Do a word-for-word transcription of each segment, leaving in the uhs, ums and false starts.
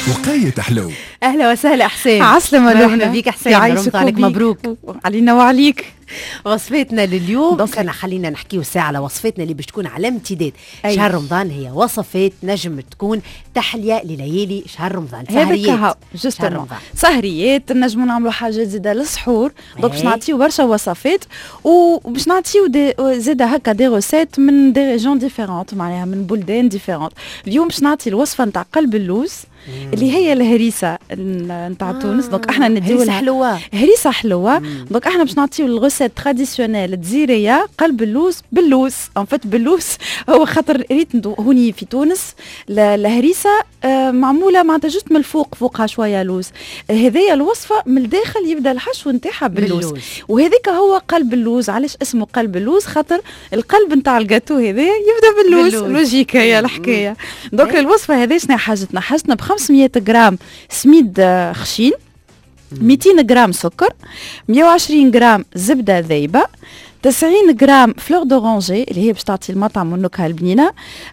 وقيت حلو. اهلا وسهلا حسين. عسلامة. مرحبا بك حسين، رمضانك مبروك. علينا وعليك. وصفاتنا لليوم، donc خلينا نحكيو ساعة على وصفاتنا اللي باش تكون على امتداد أي. شهر رمضان، هي وصفات نجم تكون تحلية لليالي شهر رمضان. سهريات، justement سهريات، نجمو نعملوا حاجات زاده للسحور. donc باش نعطيو برشا وصفات وباش نعطيو des زاده هكا des recettes من des régions différentes، معناها من بلدان différentes. اليوم باش نعطي الوصفة نتاع قلب اللوز اللي هي الهريسه نتاع آه. تونس. donc احنا نديو هريسه حلوه. هريسه حلوه. donc احنا باش نعطيو ال recette traditionnelle الجزيريه، قلب اللوز باللوز. en fait باللوز هو خاطر ريت هوني في تونس الهريسه آه، معمولة معناتها juste من الفوق فوقها شوية لوز. هذيا الوصفة من الداخل يبدا الحشو نتاعها باللوز، وهذيك هو قلب اللوز. علاش اسمه قلب اللوز؟ خاطر القلب نتاع الجاتو هذا يبدا باللوز، logique هي الحكايه. donc الوصفة هذه شنو حاجتنا؟ حاجتنا ب خمسمية غرام سميد آه، خشين، ميتين غرام سكر، مية وعشرين غرام زبدة ذايبه، تسعين غرام fleur d'oranger اللي هي باش تعطي المطعم والنكهه البنينه،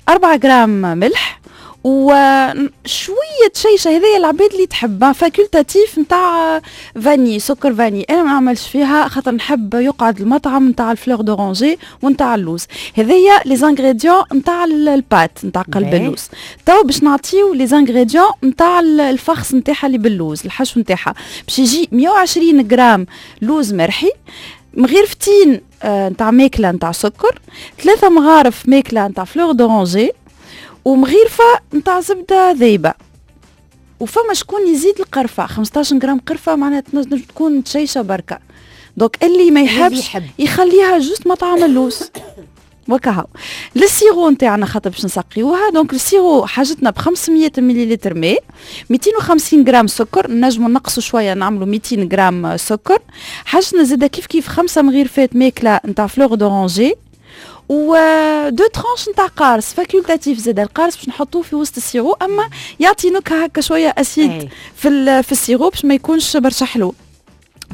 أربعة غرام ملح، وشوية شيشة، هذه العباد اللي تحب، facultatif، نتاع vanille، سكر vanille. انا ما نعملش فيها خاطر نحب يقعد المطعم نتاع ال fleur d'oranger ونتاع اللوز. هذيا les ingrédients نتاع ال pâte نتاع قلب اللوز. تو باش نعطيو les ingrédients نتاع ال farce نتاعها اللي باللوز، الحشو نتاعها باش يجي مية وعشرين غرام لوز مرحي، مغيرفتين نتاع ماكله نتاع سكر، ثلاثة مغارف ماكله نتاع fleur d'oranger، ومغيرفه نتاع زبدة ذايبه. وفما شكون يزيد القرفه، خمسطاش غرام قرفه، معناها تنجم تكون تشيشه بركه. donc اللي ما يحبش يخليها juste مطعم اللوز وكهو. ال sirop نتاعنا خاطر باش نسقيوها، donc ال sirop حاجتنا ب خمسمية مليلتر ماء، ميتين وخمسين غرام سكر، نجمو نقصوا شويه، نعملوا ميتين غرام سكر. حاجتنا زاده كيف كيف خمسة مغيرفات ماكله نتاع fleur d'oranger و deux tranches نتاع قارص، facultatif زاد القارص باش نحطوه في وسط ال sirop، اما يعطي نكهة هكا شوية acide في في ال sirop باش ما يكونش برشا حلو.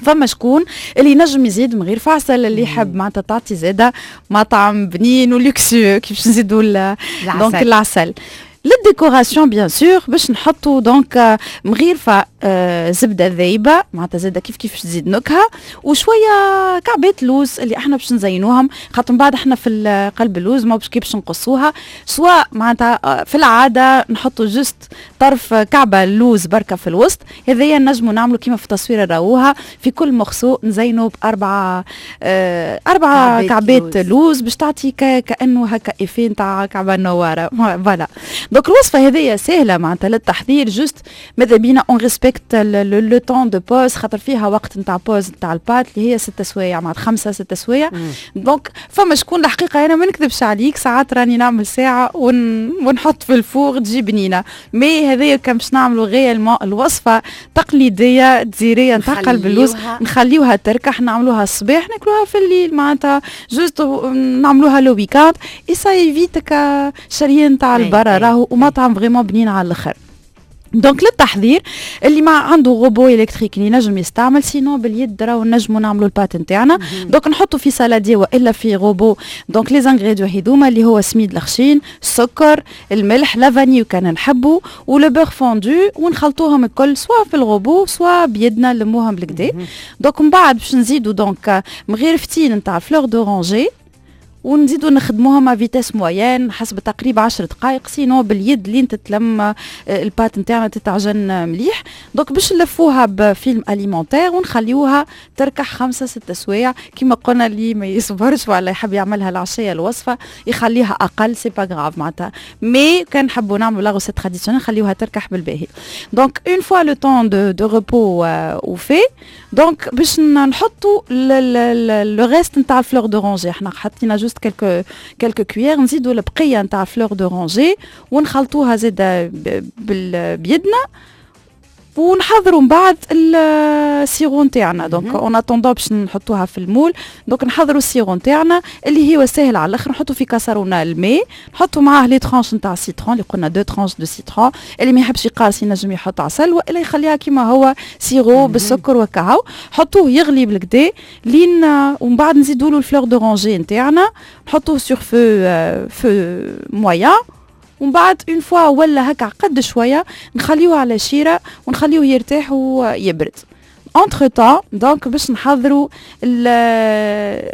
فما شكون اللي ينجم يزيد من غير عسل، اللي يحب، معناتها تعطي زاده مطعم بنين و luxueux كيفاش نزيدوا donc العسل. لل décoration bien sûr باش نحطوا donc مغيرفه آه، زبدة ذايبه، معناتها زاده كيف كيف تزيد نكهه، وشوية كعبات لوز اللي احنا باش نزينوهم، خاطر من بعد احنا في قلب اللوز ما باش كيف باش نقصوها، سواء معناتها آه، في العادة نحطوا juste طرف كعبه لوز بركة في الوسط. هذايا نجموا نعملوا كيما في التصويره راوها، في كل morceau نزينوا باربعة آه اربعة كعبات لوز، لوز باش تعطي كانه هكا effet نتاع كعبه نواره. voilà، donc الوصفة هذيا سهلة معناتها للتحضير، juste ماذا بينا on respecte le temps de pose، خاطر فيها وقت نتاع pose نتاع ال pâte اللي هي ستة سوايع، معناتها خمسة ستة سوايع. donc فما شكون، الحقيقة انا ما نكذبش عليك، ساعات راني نعمل ساعة ون... ونحط في ال four تجي بنينه. mais هذايا كان باش نعملوا réellement الوصفة تقليدية دزيريه نتاع قلب اللوز، نخليوها تركح، نعملوها الصباح ناكلوها في الليل، معناتها juste نعملوها le week-end et ça évite شريان تاع البرا راهو، ومطعم vraiment بنين على الاخر. donc للتحضير، اللي ما عنده robot électrique اللي نجم يستعمل، sinon باليد راهو نجمو نعملوا ال pâte نتاعنا. donc نحطوا في saladier والا في robot donc les ingrédients هذوما اللي هو سميد الخشين، السكر، الملح، la vanille وكان نحبوا، و le beurre fondu، ونخلطوهم الكل soit في ال robot soit بيدنا نلموهم بالقدا. donc من بعد باش نزيدوا donc مغيرفتين نتاع fleur d'oranger ونزيدو نخدموهم à vitesse moyenne حسب تقريبا عشر دقائق، sinon باليد لين تتلم آه، ال pâte نتاعنا تتعجن مليح. donc باش نلفوها ب film alimentaire ونخليوها تركح خمسة ستة سوايع كيما قلنا. اللي ما يصبرش ولا يحب يعملها العشية الوصفة يخليها اقل، c'est pas grave معناتها، mais كان نحبوا نعملوا la recette traditionnelle نخليوها تركح بالباهي. donc une fois le temps de de repos وفي، donc باش نحطوا le reste نتاع ال fleur d'oranger، احنا حطينا juste quelques quelques cuillères، نزيدوا البقية نتاع fleur d'oranger ونخلطوها زاده بيدنا، ونحضروا من بعد ال sirop نتاعنا. donc en attendant باش نحطوها في ال moule، donc نحضروا ال sirop نتاعنا اللي هو ساهل على الاخر. نحطوا في كاسرونه الماء، نحطوا معاه les tranches نتاع ال citron اللي قلنا deux tranches de citron. اللي ما يحبش يقارص ينجم يحط عسل والا يخليها كيما هو sirop بالسكر وكهو. حطوه يغلي بالقدا لين ومن بعد نزيدوا له ال fleur d'oranger نتاعنا، نحطوه sur feu feu moyen. ومن بعد une fois ولا هكا عقد شويه، نخليوه على شيره ونخليوه يرتاح ويبرد. entre temps donc باش نحضروا ال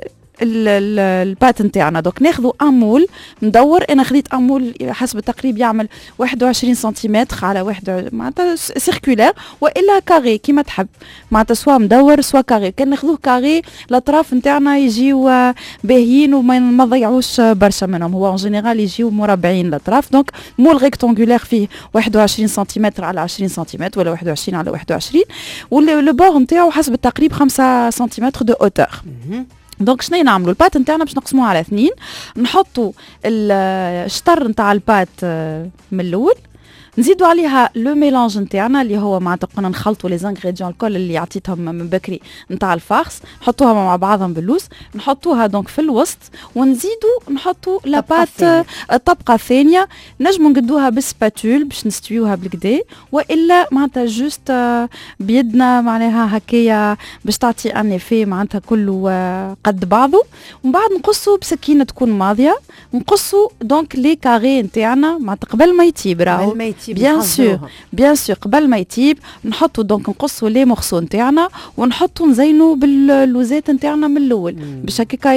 pâte نتاعنا، donc ناخذوا un moule مدور. انا خذيت un moule حسب التقريب يعمل واحد وعشرين سنتيمتر على واحد، معناتها circulaire والا carré كيما تحب، معناتها soit مدور soit carré. كان ناخذوه carré الاطراف نتاعنا يجيو باهيين وما نضيعوش برشا منهم. هو en général يجيو مربعين الاطراف. donc moule rectangulaire فيه واحد وعشرين سنتيمتر على عشرين سنتيمتر ولا واحد وعشرين على واحد وعشرين، و le bord نتاعو حسب التقريب خمسة سنتيمتر de hauteur. donc شنو نعملوا؟ ال pâte نتاعنا باش نقسموها على اثنين، نحطوا الشطر نتاع ال pâte آه، من الاول، نزيدوا عليها le mélange نتاعنا اللي هو معناتها قلنا نخلطوا les ingrédients الكل اللي عطيتهم من بكري نتاع ال farce، نحطوها مع بعضهم باللوز، نحطوها donc في الوسط ونزيدوا نحطوا la pâte الطبقة الثانيه. نجموا نقدوها بال spatule باش نستويوها بالقدا، والا معناتها juste بيدنا معناها هكايا باش تعطي un effet معناتها كله قد بعضه. ومن بعد نقصوا بسكينة تكون ماضيه، نقصوا donc les carrés نتاعنا معناتها قبل ما يطيب. راهو قبل ما يطيب. bien sûr، bien sûr، قبل ما يطيب نحطوا donc نقصوا les morceaux نتاعنا ونحطوا نزينوا باللوزات نتاعنا من الاول باش هكاكا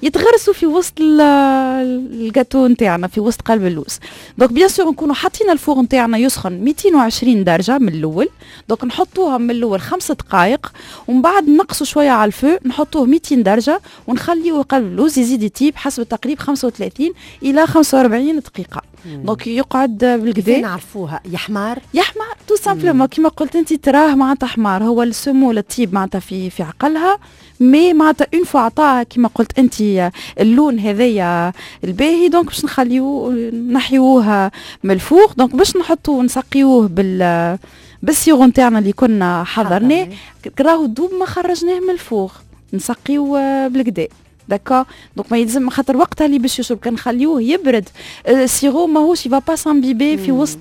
يتغرسوا في وسط الجاتو نتاعنا، في وسط قلب اللوز. donc bien sûr نكونوا حاطين ال four نتاعنا يسخن ميتين وعشرين درجه من الاول. donc نحطوها من الاول خمس دقائق ومن بعد نقصوا شوية على ال feu، نحطوه ميتين درجه ونخليه قلب اللوز يزيد يطيب حسب التقريب خمسة وثلاثين الى خمسة وأربعين دقيقه. donc يقعد بالقدا. نعرفوها يحمار. يحمر tout simplement كيما قلت انت، تراه معناتها حمار. هو ال semoule تطيب معناتها في في عقلها، mais معناتها une fois عطاها كيما قلت انت اللون هذايا الباهي، donc باش نخليوه نحيوه من ال four. donc باش نحطوه نسقيوه بال بال sirop نتاعنا اللي كنا حضرناه. راهو دوب ما خرجناه من ال four نسقيوه بالقدا، d'accord؟ donc ما يلزم خاطر وقتها اللي باش يشرب. كان نخليوه يبرد ال sirop ماهوش va pas s'imbiber في وسط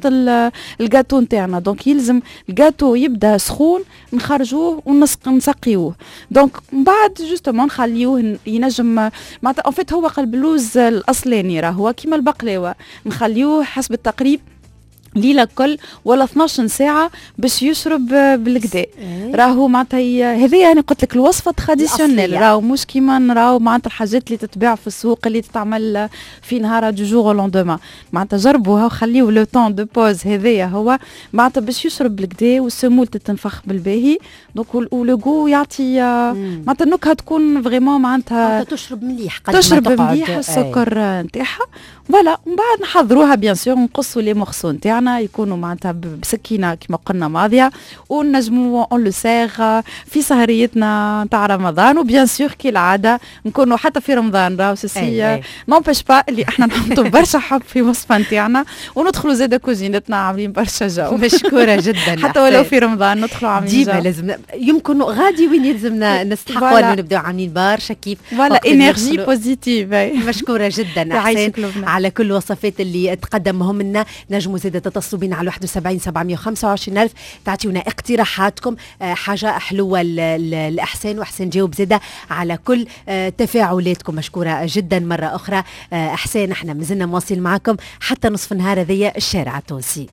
الجاتو نتاعنا. donc يلزم الجاتو يبدا سخون، نخرجوه ونسقيوه. donc من بعد justement نخليوه ينجم معناتها en fait هو قلب اللوز الاصلاني راه هو كيما البقلاوه، نخليوه حسب التقريب ليلة كل ولا اثناش ساعة باش يشرب بالقدا. إيه. راهو معناتها هذه انا قلت لك الوصفة traditionnelle، راهو مش كيما نراو معناتها الحاجات اللي تتباع في السوق اللي تتعمل في نهار du jour au lendemain. معناتها جربوها وخليو le temps de pause هذايا هو معناتها باش يشرب بالقدا وال semoule تتنفخ بالباهي، donc و le goût يعطي معناتها النكهة تكون vraiment معناتها تشرب مليح. تشرب مليح السكر نتاعها. voilà، ومن بعد نحضروها bien sûr، نقصوا les morceaux نتاعنا يكونوا معناتها بسكينة كما قلنا ماضيه، ونجموا on le sert في سهريتنا نتاع رمضان. و bien sûr كالعادة نكونوا حتى في رمضان، راهو ceci n'empêche pas اللي احنا نحطوا برشا حب في وصفه نتاعنا وندخلوا زاده كوزينتنا عاملين برشا جو. مشكورة جدا. حتى ولو في رمضان ندخلوا عاملين ديما لازم، يمكن غادي وين يلزمنا نستحقوا انه نبداو عاملين برشا كيف. voilà، énergie positive. مشكورة جدا حسين على كل الوصفات اللي تقدمهم لنا. نجموا زاده تتصلوا بنا على واحد وسبعين سبعمية وخمسة وعشرين ألف، تعطيونا اقتراحاتكم، آه، حاجة حلوة الأحسان، وأحسان جاوب زاده على كل آه، تفاعلاتكم. مشكورة جدا مرة أخرى آه، أحسان. احنا مازلنا مواصلين معكم حتى نصف النهار، هذيا الشارع التونسي.